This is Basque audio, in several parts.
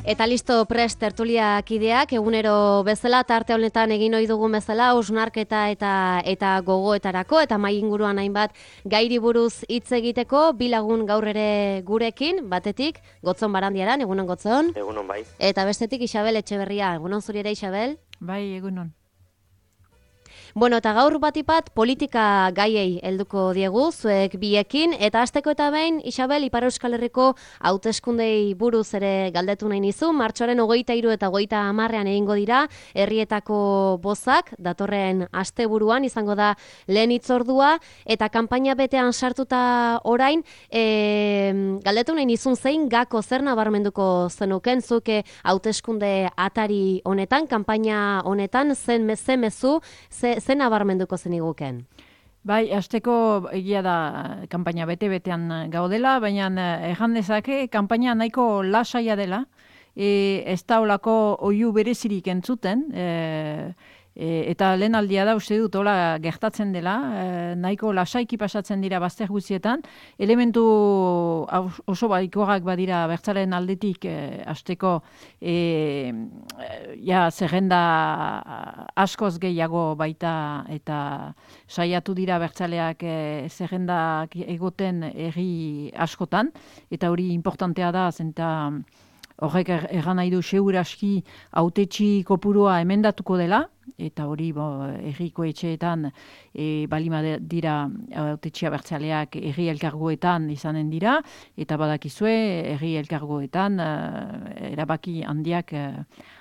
Eta listo prest tertuliak ideak, egunero bezala, tarte honetan egin ohi dugun bezala, hausnarketa eta gogoetarako, eta mai inguruan hainbat gairi buruz hitz egiteko, bi lagun gaur ere gurekin, batetik, Gotzon Barandiaran, egunon Gotzon. Egunon bai. Eta bestetik Isabel Etxeberria, egunon zuri ere Isabel. Bai, egunon. Bueno, eta gaur batipat politika gaiei helduko diegu, zuek biekin, eta hasteko eta behin, Isabel, Ipar Euskal Herriko hauteskundei buruz ere galdetu nahi nizu, martxoaren 23 eta 30 egingo dira, herrietako bozak, datorren asteburuan izango da lehen hitzordua, eta kanpaina betean sartuta orain, galdetu nahi nizun zein gako zer nabarmenduko zenuken, zuke hauteskunde atari honetan, kanpaina honetan, zen mezu, zen nabarmenduko zeniguken? Bai, hasteko egia da kanpaina bete-betean gaudela, baina erran dezake kanpaina nahiko lasaia dela, ez da olako oihu berezirik entzuten, eta lehen aldia da uste dut hola gertatzen dela, nahiko lasaiki pasatzen dira bazter guztietan, elementu oso baikoak badira bertzalen aldetik hasteko zerrenda askoz gehiago baita eta saiatu dira bertzaleak zerrendak egoten herri askotan, eta hori importantea da, zenta horrek erran nahi du seguraski hautetsi kopurua emendatuko dela, eta hori herriko etxeetan balima dira hautetxia bertzaleak herri elkargoetan izanen dira, eta badakizue herri elkargoetan erabaki handiak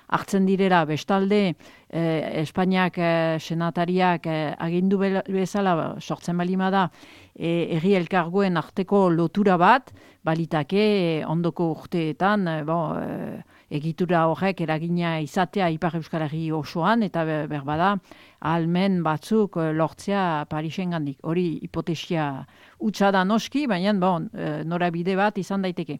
hartzen direla. Bestalde Espainiak senatariak agindu bezala sortzen balima da herri elkargoen arteko lotura bat, balitake ondoko urteetan egitura horrek eragina izatea Ipar Euskal Herri osoan, eta berbada ahalmen batzuk lortzea Parisengandik. Hori hipotesia hutsa da noski, baina norabide bat izan daiteke.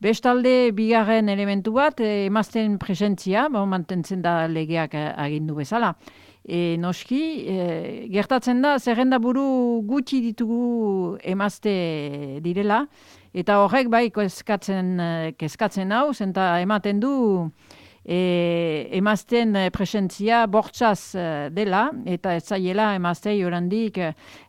Bestalde, bigarren elementu bat, emazten presentzia, mantentzen da legeak agindu bezala. Noski, gertatzen da, zerrenda buru gutxi ditugu emazte direla, eta horrek bai kezkatzen hau, zenta ematen du emazten presentzia bortzaz dela, eta ez zaiela emaztei orandik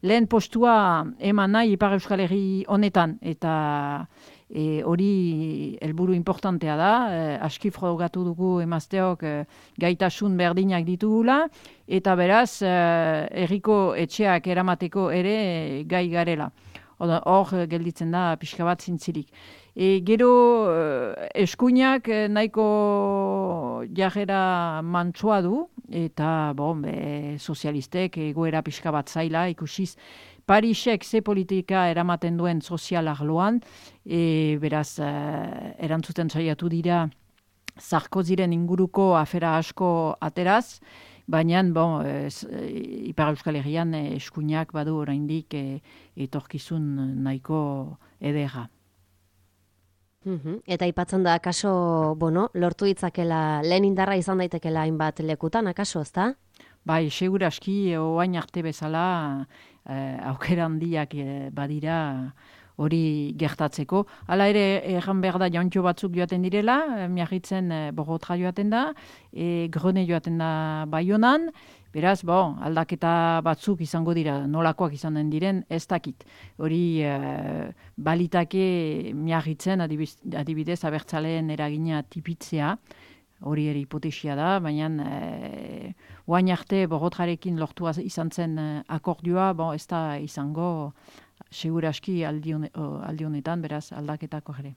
lehen postua eman nahi Ipar Euskal Herri honetan, eta hori helburu importantea da, aski frogatu dugu emazteok gaitasun berdinak ditugula, eta beraz, herriko etxeak eramateko ere gai garela. Hor gelditzen da pixka bat zintzilik. Gero eskuinak nahiko jarrera mantsua du, eta sozialistek egoera pixka bat zaila ikusiz, Parisek ze politika eramaten duen sozial arloan, beraz, erantzuten saiatu dira Sarkoziren inguruko afera asko ateraz, baina Ipar Euskal Herrian eskuinak badu oraindik etorkizun nahiko ederra. Eta aipatzen da, akaso, lortu ditzakela, lehen indarra izan daitekela hainbat lekutan, akaso, ezta? Bai, seguraski, oain arte bezala, aukera handiak badira hori gertatzeko. Hala ere, erran behar da jauntxo batzuk joaten direla, miarritzen Bogotra joaten da, Grone joaten da Baionan, beraz, aldaketa batzuk izango dira, nolakoak izanen diren, ez dakit. Hori balitake miarritzen, adibidez, abertzaleen eragina tipitzea, hori ere hipotesia da, baina oain arte Bogotrarekin lortua izan zen akordioa, ez da izango seguraski aldi honetan, beraz, aldaketako ere.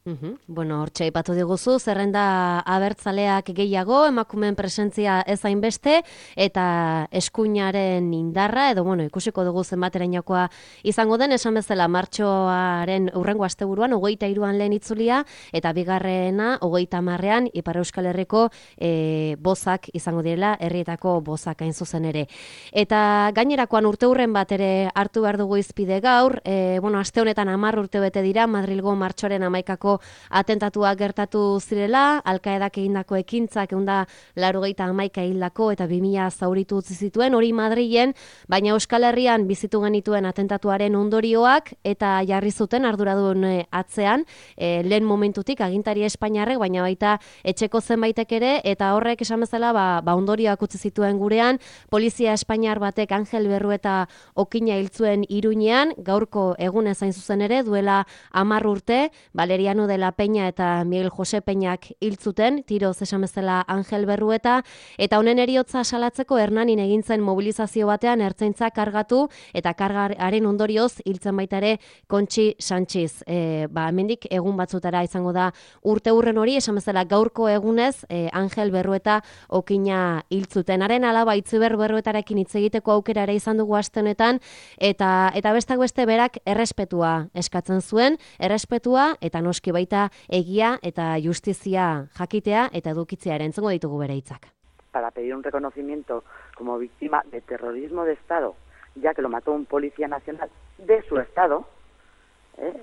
Hortxe aipatu diguzu, zerrenda abertzaleak gehiago, emakumeen presentzia ez hainbeste, eta eskuinaren indarra, edo ikusiko dugu zenbaterainokoa izango den, esan bezala martxoaren hurrengo asteburuan, 23an lehen itzulia, eta bigarrena 30an Ipar Euskal Herriko bozak izango direla, herrietako bozak hain zuzen ere. Eta gainerakoan urteurren bat ere hartu behar dugu izpide gaur, aste honetan 10 urte bete dira, Madrilgo martxoaren 11 atentatua gertatu zirela, Al-Qaedak egindako ekintzak 191 hildako eta 2000 zauritu utzi zituen, hori Madrilen, baina Euskal Herrian bizitu genituen atentatuaren ondorioak eta jarri zuten arduradun atzean, lehen momentutik agintari espainiarrek, baina baita etxeko zenbaitek ere, eta horrek esan bezala ondorioak utzi zituen gurean, polizia espainiar batek Angel Berrueta okina hiltzuen Iruñean, gaurko egunez hain zuzen ere, duela 10 urte, Valeriano de la Peña eta Miguel Jose Peñak hiltzuten, tiroz esan bezala Angel Berrueta, eta honen heriotza salatzeko Hernanin egintzen mobilizazio batean ertzaintza kargatu, eta kargaren ondorioz hiltzen baita ere Kontxi Sanchiz. Hemendik egun batzutara izango da urte hurren hori, esan bezala gaurko egunez Angel Berrueta okina hiltzuten. Haren alaba Itziber Berruetarekin hitz egiteko aukera ere izan dugu aste honetan, eta bestak beste berak errespetua eskatzen zuen, errespetua eta noski baita egia eta justizia jakitea eta edukitzea ere entzungo ditugu bere hitzak. Para pedir un reconocimiento como víctima de terrorismo de Estado, ya que lo mató un policía nacional de su Estado,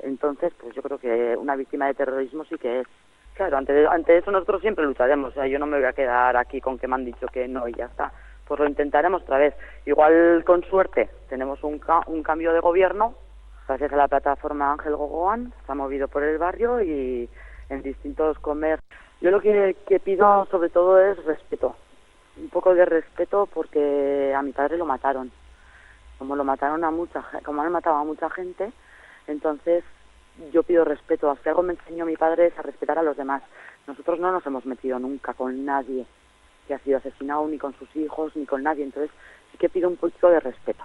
entonces pues yo creo que una víctima de terrorismo sí que es. Claro, ante eso nosotros siempre lucharemos, o sea, yo no me voy a quedar aquí con que me han dicho que no y ya está, pues lo intentaremos otra vez. Igual con suerte tenemos un cambio de gobierno, gracias a la plataforma Ángel Gogoan, se ha movido por el barrio y en distintos comercios. Yo lo que pido sobre todo es respeto, un poco de respeto porque a mi padre lo mataron, como han matado a mucha gente, entonces yo pido respeto. Si algo me enseñó mi padre es a respetar a los demás. Nosotros no nos hemos metido nunca con nadie que ha sido asesinado, ni con sus hijos, ni con nadie, entonces sí que pido un poquito de respeto.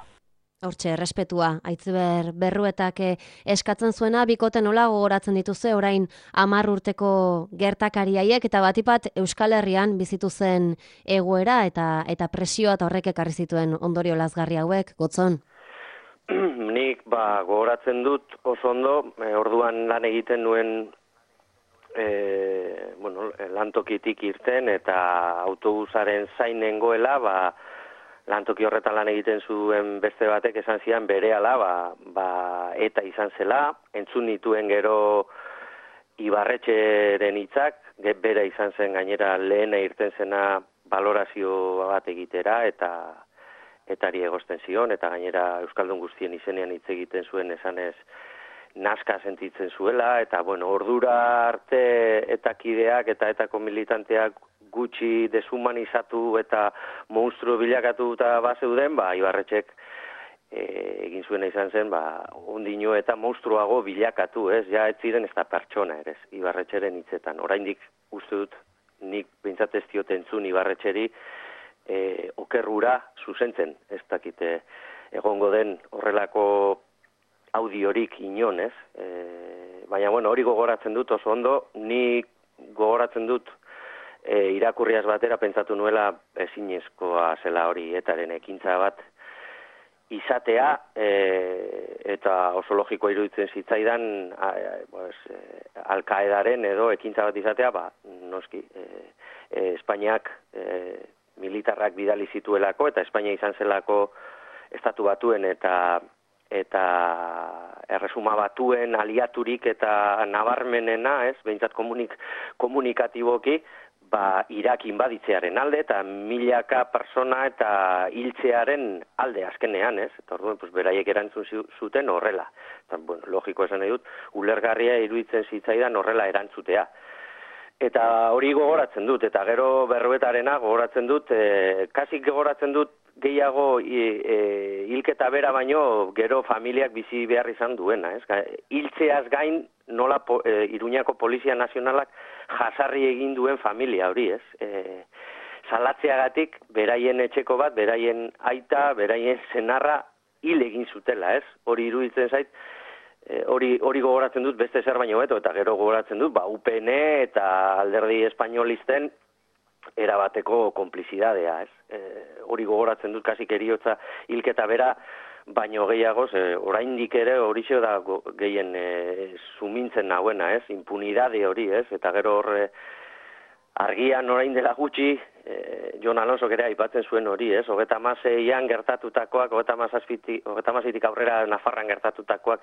Hortxe, respetua, Itziber Berruetak eskatzen zuena, bikote nola gogoratzen dituzue orain 10 urteko gertakariaiek, eta batipat Euskal Herrian bizitu zen egoera eta presioa eta horrek ekarri zituen ondorio lazgarri hauek, Gotzon? Nik gogoratzen dut oso ondo, orduan lan egiten nuen lantokitik irten eta autobusaren zain nengoela, lantoki horretan lan egiten zuen beste batek esan zian berehala, eta izan zela, entzun nituen gero Ibarretxeren hitzak, bera izan zen gainera lehena irten zena balorazio bat egitera, etari egozten zion, eta gainera Euskaldun guztien izenean hitz egiten zuen esanez naska sentitzen zuela, eta ordura arte eta kideak eta etako militanteak gutxi deshumanizatu eta monstruo bilakatu eta bazeuden, Ibarretxek egin zuena izan zen, ondino eta monstruago bilakatu, ez ziren ez da pertsona ere, Ibarretxeren hitzetan. Oraindik uste dut, nik behintzat ez diot entzun Ibarretxeri okerrura zuzentzen, ez dakite egongo den horrelako audiorik inon, ez? Baina, hori gogoratzen dut oso ondo, nik gogoratzen dut irakurriaz batera pentsatu nuela ezinezkoa zela hori etaren ekintza bat izatea, eta oso logikoa iruditzen zitzaidan Al-Qaedaren edo ekintza bat izatea, noski, Espainiak militarrak bidali zituelako, eta Espainia izan zelako estatu batuen eta erresuma batuen aliaturik eta nabarmenena, behintzat komunikatiboki, Irak inbaditzearen alde eta milaka persona eta hiltzearen alde azkenean, eta orduan, beraiek erantzun zuten horrela. Logiko esan nahi dut, ulergarria iruditzen zitzaidan horrela erantzutea. Eta hori gogoratzen dut, eta gero Berruetarena gogoratzen dut, kasik gogoratzen dut gehiago hilketa bera baino gero familiak bizi behar izan duena. Hiltzeaz gain nola Iruñako Polizia Nazionalak jasarri egin duen familia hori, salatzeagatik beraien etxeko bat, beraien aita, beraien senarra hil egin zutela, hori iruditzen zait, hori gogoratzen dut beste zer baino beto, eta gero gogoratzen dut, UPN eta alderdi espainolisten erabateko konplizidadea, hori gogoratzen dut kasik eriotza hilketa bera, baino gehiagoz, oraindik ere horixe da gehien sumintzen nahuena, impunidade hori, eta gero horre argian orain dela gutxi Jon Alonso ere aipatzen zuen hori, ez? 36an gertatutakoak, 36tik aurrera Nafarran gertatutakoak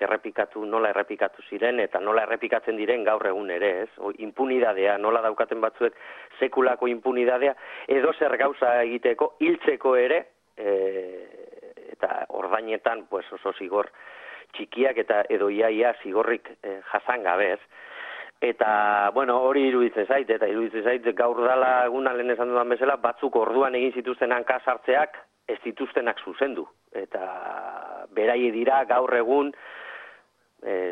nola errepikatu ziren eta nola errepikatzen diren gaur egun ere, ez? Impunidadea, nola daukaten batzuek sekulako impunidadea, edo zer gauza egiteko, hiltzeko ere, eta ordainetan pues oso zigor txikiak eta edo iaia zigorrik jasan gabe, ez? Eta, bueno, hori iruditzen zait gaur dala eguna lehen esan dudan bezala, batzuk orduan egin zituzten hanka sartzeak ez dituztenak zuzendu. Eta beraie dira gaur egun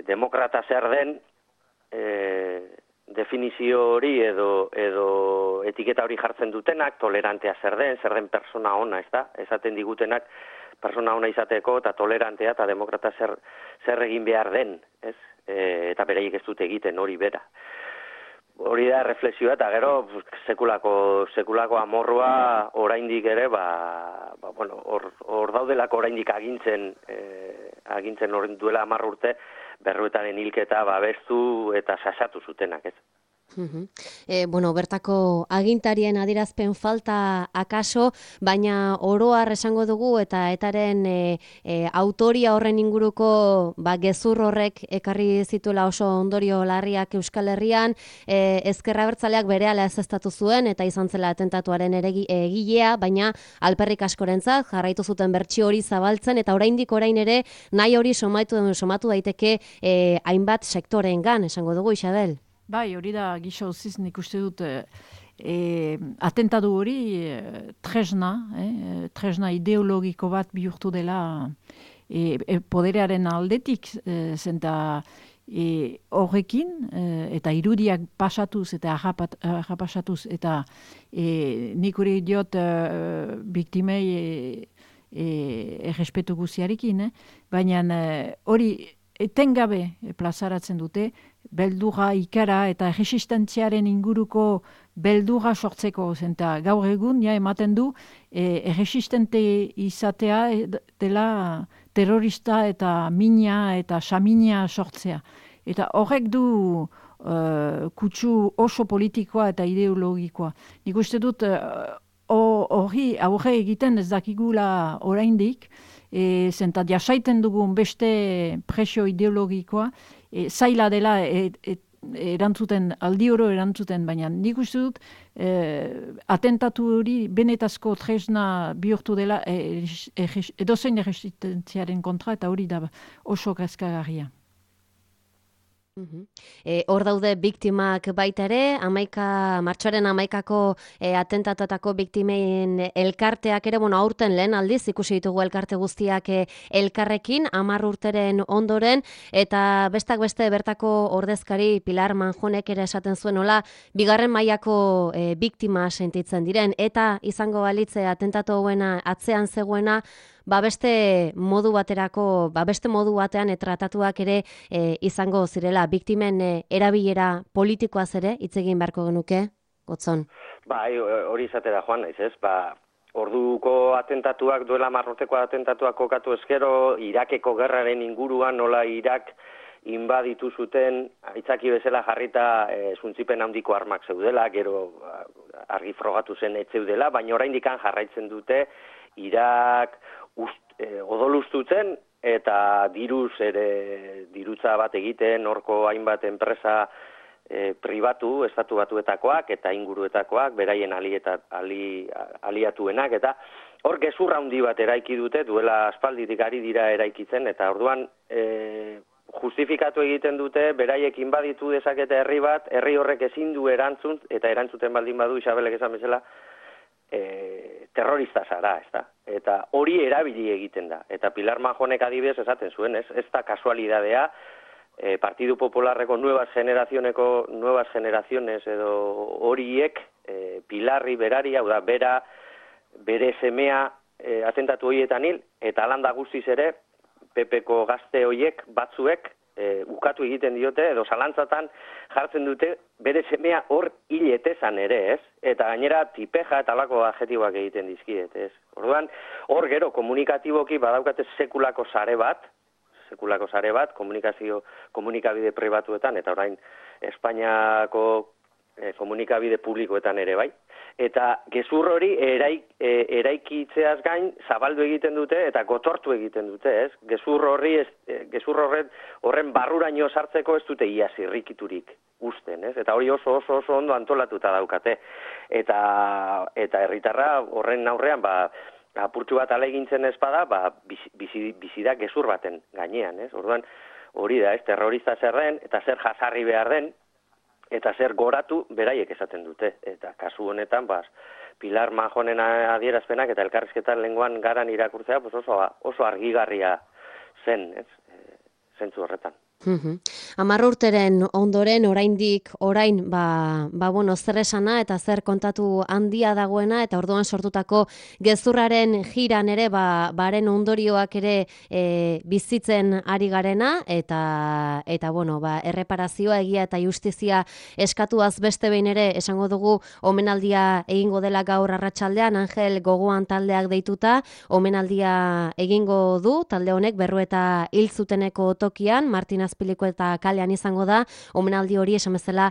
demokrata zer den definizio hori edo etiketa hori jartzen dutenak, tolerantea zer den persona ona, ez da? Esaten digutenak persona ona izateko eta tolerantea eta demokrata zer egin behar den, ez? Eta beraiek ez dute egiten hori bera. Hori da reflexioa eta gero sekulako amorrua oraindik ere bueno, hor daudelako oraindik agintzen duela 10 urte Berruetaren hilketa babestu eta sasatu zutenak, ez? Bueno, bertako agintarien adierazpen falta akaso, baina oroar esango dugu eta etaren autoria horren inguruko gezur horrek ekarri zituela oso ondorio larriak Euskal Herrian, Ezker Abertzaleak berehala ezeztatu zuen eta izan zela atentatuaren egilea, baina alperrik askorentzat jarraitu zuten bertsio hori zabaltzen eta oraindik orain ere nahi hori somatu daiteke hainbat sektoreengan, esango dugu, Isabel. Bai, hori da gisa uziz nik uste dut atentatu hori tresna ideologiko bat bihurtu dela poderearen aldetik zenta horrekin eta irudiak pasatuz eta pasatuz eta nik hori diot biktimei errespetu guziarekin, baina hori etengabe plazaratzen dute, beldurra ikara eta erresistentziaren inguruko beldurra sortzeko zenta gaur egun ematen du erresistente izatea dela terrorista eta mina eta samina sortzea. Eta horrek du kutsu oso politikoa eta ideologikoa. Nik uste dut hori aurre egiten ez dakigula oraindik, zenta jasaiten dugun beste presio ideologikoa, zaila dela erantzuten, aldi oro erantzuten, baina nik uste dut atentatu hori benetazko tresna bihurtu dela edozein erresistentziaren kontra eta hori da oso kezkagarria. Hor daude biktimak baita ere, martxoaren 11ko atentatatako biktimein elkarteak ere, aurten lehen aldiz ikusi ditugu elkarte guztiak elkarrekin, 10 urteren ondoren, eta bestak beste bertako ordezkari Pilar Manjonek ere esaten zuen hola, 2. mailako biktima sentitzen diren, eta izango balitze atentatu hauena atzean zegoena, beste modu batean tratatuak ere izango zirela, biktimen erabilera politikoaz ere hitz egin beharko genuke, Gotzon? Bai, hori izatera joan naiz, ez? Orduko atentatuak, duela 10 urteko atentatuak kokatu ezkero, Irakeko gerraren inguruan nola Irak inbaditu zuten, aitzaki bezala jarrita zuntzipen handiko armak zeudela, gero argi frogatu zen ez zeudela, baina oraindik jarraitzen dute Irak odolustutzen eta dirutza bat egiten horko hainbat enpresa pribatu, estatu batuetakoak eta inguruetakoak, beraien aliatuenak, eta hor gezurra handi bat eraiki dute, duela aspalditik ari dira eraikitzen, eta orduan justifikatu egiten dute, beraiek inbaditu dezakete herri bat, herri horrek ezin du erantzun, eta erantzuten baldin badu, Isabelek esan bezala, terrorista zara, ez da? Eta hori erabili egiten da. Eta Pilar Manjonek adibidez esaten zuen, ez da kasualidadea, Partidu Popularreko nuevas generaciones edo horiek Pilarri berari, hau da, bere semea atentatu horietan hil, eta alanda guztiz ere, PPko gazte horiek batzuek ukatu egiten diote, edo zalantzatan jartzen dute bere semea hor hiletezan ere, ez? Eta gainera tipeja eta alako adjetiboak egiten dizkiet, ez? Orduan, hor gero komunikatiboki badaukate sekulako sare bat, komunikabide pribatuetan, eta orain Espainiako komunikabide publikoetan ere bai. Eta gezur hori eraikitzeaz gain zabaldu egiten dute eta gotortu egiten dute, ez? Gezur horren barruraino sartzeko ez dute ia zirrikiturik uzten, ez? Eta hori oso ondo antolatuta daukate. Eta herritarra horren aurrean, apurtxu bat alegintzen ez bada, bizi da gezur baten gainean, ez? Orduan, hori da, ez? Terrorista zer den, eta zer jasarri behar den, eta zer goratu beraiek esaten dute. Eta kasu honetan, Pilar Majonen adierazpenak eta elkarrizketan lenguan garan irakurtzea oso argigarria zen, ez? Zentzu horretan. 10 urteren ondoren orain zer esana eta zer kontatu handia dagoena, eta orduan sortutako gezurraren jiran ere baren ondorioak ere bizitzen ari garena, eta erreparazioa, egia eta justizia eskatuaz beste behin ere esango dugu omenaldia egingo dela gaur arratsaldean, Angel Gogoan taldeak deituta omenaldia egingo du talde honek Berrueta hil zuteneko tokian, Martin Azpiliko eta kalean izango da, omenaldi hori esan bezala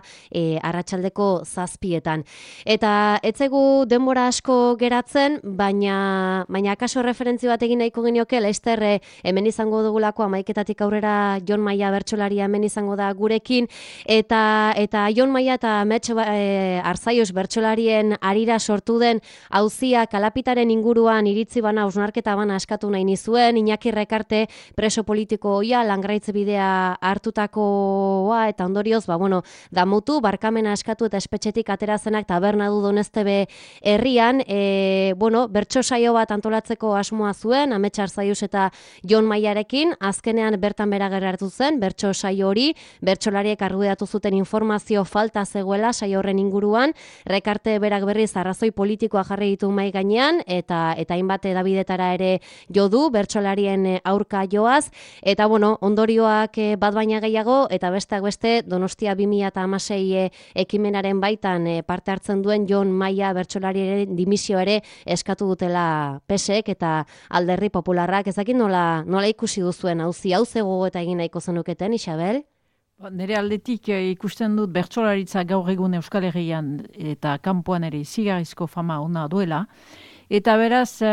arratsaldeko 7:00. Eta etzegu denbora asko geratzen, baina akaso referentzio bat egin nahiko genioke, Lester hemen izango dugulako 11:00 aurrera Jon Maia bertsolari hemen izango da gurekin, eta Jon Maia eta Amets Arzaius bertsolarien arira sortu den auzia kalapitaren inguruan iritzi bana, hausnarketa bana eskatu nahi nizuen, Iñaki Rekarte preso politiko hoia langraitze bidea hartutakoa, eta ondorioz, damutu, barkamena eskatu eta espetxetik aterazenak taberna du Doneztebe herrian, bertso saio bat antolatzeko asmoa zuen, Amets Arzaius eta Jon Maiarekin, azkenean bertan bera geratu zen, bertso saio hori, bertsolariek argudiatu zuten informazio falta zegoela saio horren inguruan, Rekarte berak berriz arrazoi politikoa jarri ditu mahai gainean, eta hainbat edabidetara ere jo du, bertsolarien aurka joaz, eta ondorioak bat baina gehiago, eta besteak beste Donostia 2016 ekimenaren baitan parte hartzen duen Jon Maia bertsolariaren dimisio ere eskatu dutela PSek eta Alderdi Popularrak. Ezakin nola ikusi duzuen auzi hau zego eta egin nahiko zenuketen, Isabel? Nire aldetik ikusten dut bertsolaritza gaur egun Euskal Herrian eta kanpoan ere izugarrizko fama ona duela. Eta beraz,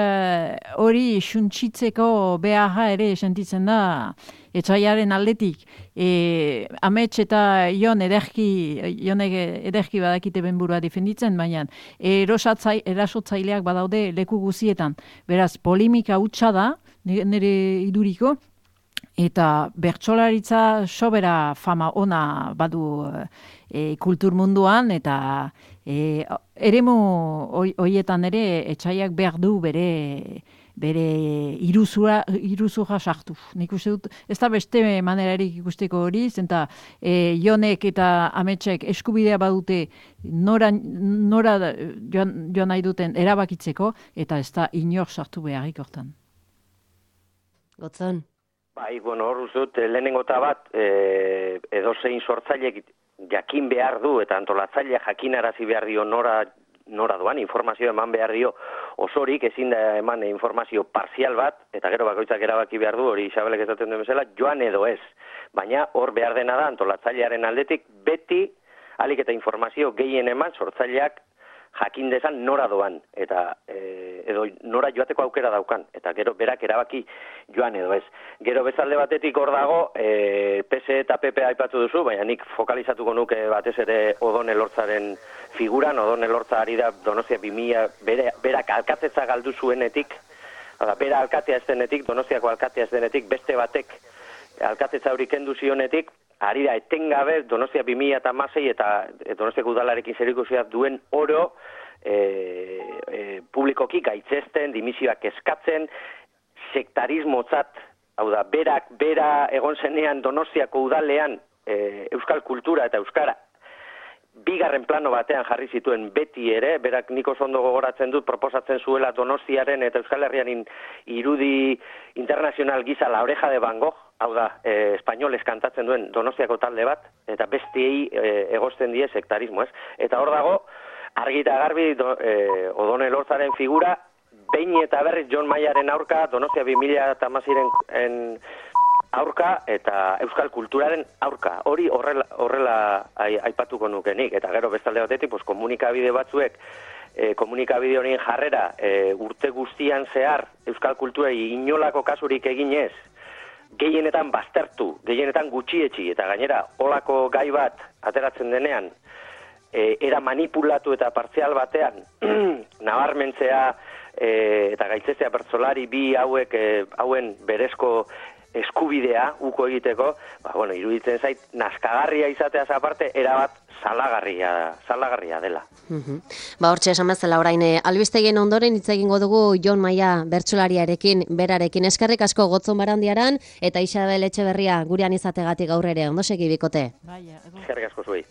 hori suntsitzeko beharra ere sentitzen da Etsaiaren aldetik. Amets eta Jonek ederki badakite benburua defenditzen, baina erasotzaileak badaude leku guzietan. Beraz, polimika hutsa da, nire iduriko, eta bertsolaritza sobera fama ona badu kultur munduan, eta eremu hoietan ere Etsaiak behar du bere iruzura sartu. Nik uste dut, ez da beste manerarik ikusteko hori, zenta Jonek eta Ametsek eskubidea badute nora joan nahi duten erabakitzeko, eta ez da inor sartu beharrik hortan. Gotzon. Bai, hor uzut, lehenengo eta bat, edozein sortzailek jakin behar du, eta antolatzailea jakinarazi behar dio nora doan, informazio eman behar dio osorik, ezin da eman informazio parzial bat, eta gero bakoitzak erabaki behar du, hori Isabelek esaten duen bezala, joan edo ez. Baina hor behar dena da, antolatzailearen aldetik, beti alik eta informazio gehien eman sortzaileak jakin dezan nora doan, eta edo nora joateko aukera daukan, eta gero berak erabaki joan edo ez. Gero bezalde batetik hor dago, PS eta PP aipatu duzu, baina nik fokalizatuko nuke batez ere Odon Elortzaren figuran. Odon Elortza ari da Donostia 2000, berak alkatetza galdu zuenetik, bera alkatea ez denetik, Donostiako alkatea ez denetik, beste batek alkatetza hori kendu zionetik, ari da etengabe Donostia 2016 eta Donostiako udalarekin zerikusia duen oro publikoki gaitzesten, dimisioak eskatzen, sektarismotzat, hau da, bera egon zenean Donostiako udalean euskal kultura eta euskara bigarren plano batean jarri zituen beti ere, berak nik oso ondo gogoratzen dut proposatzen zuela Donostiaren eta Euskal Herrian irudi internazional gisa La Oreja de Van Gogh, hau da, espainolez kantatzen duen Donostiako talde bat, eta bestiei egozten die sektarismo, ez? Eta hor dago, argi eta garbi Odon Elortzaren figura, behin eta berriz Jon Maiaren aurka Donostia 2016 aurka eta euskal kulturaren aurka. Hori horrela aipatuko nukenik. Eta gero bestalde batetik, pues, komunikabide batzuek, komunikabide horien jarrera urte guztian zehar euskal kulturei inolako kasurik eginez, gehienetan baztertu, gehienetan gutxietxi, eta gainera olako gai bat ateratzen denean, era manipulatu eta partzial batean, nabarmentzea eta gaitzestea bertsolari bi hauen berezko eskubidea uko egiteko, iruditzen zait, naskagarria izateaz aparte, erabat salagarria dela. Hortxe esan bezala orain, albistegien ondoren hitz egingo dugu Jon Maia bertsolariarekin, berarekin. Eskerrik asko Gotzon Barandiaran eta Isabel Etxeberria gurean izategatik gaur ere. Ondo segi bikote. Eskerrik asko zuei.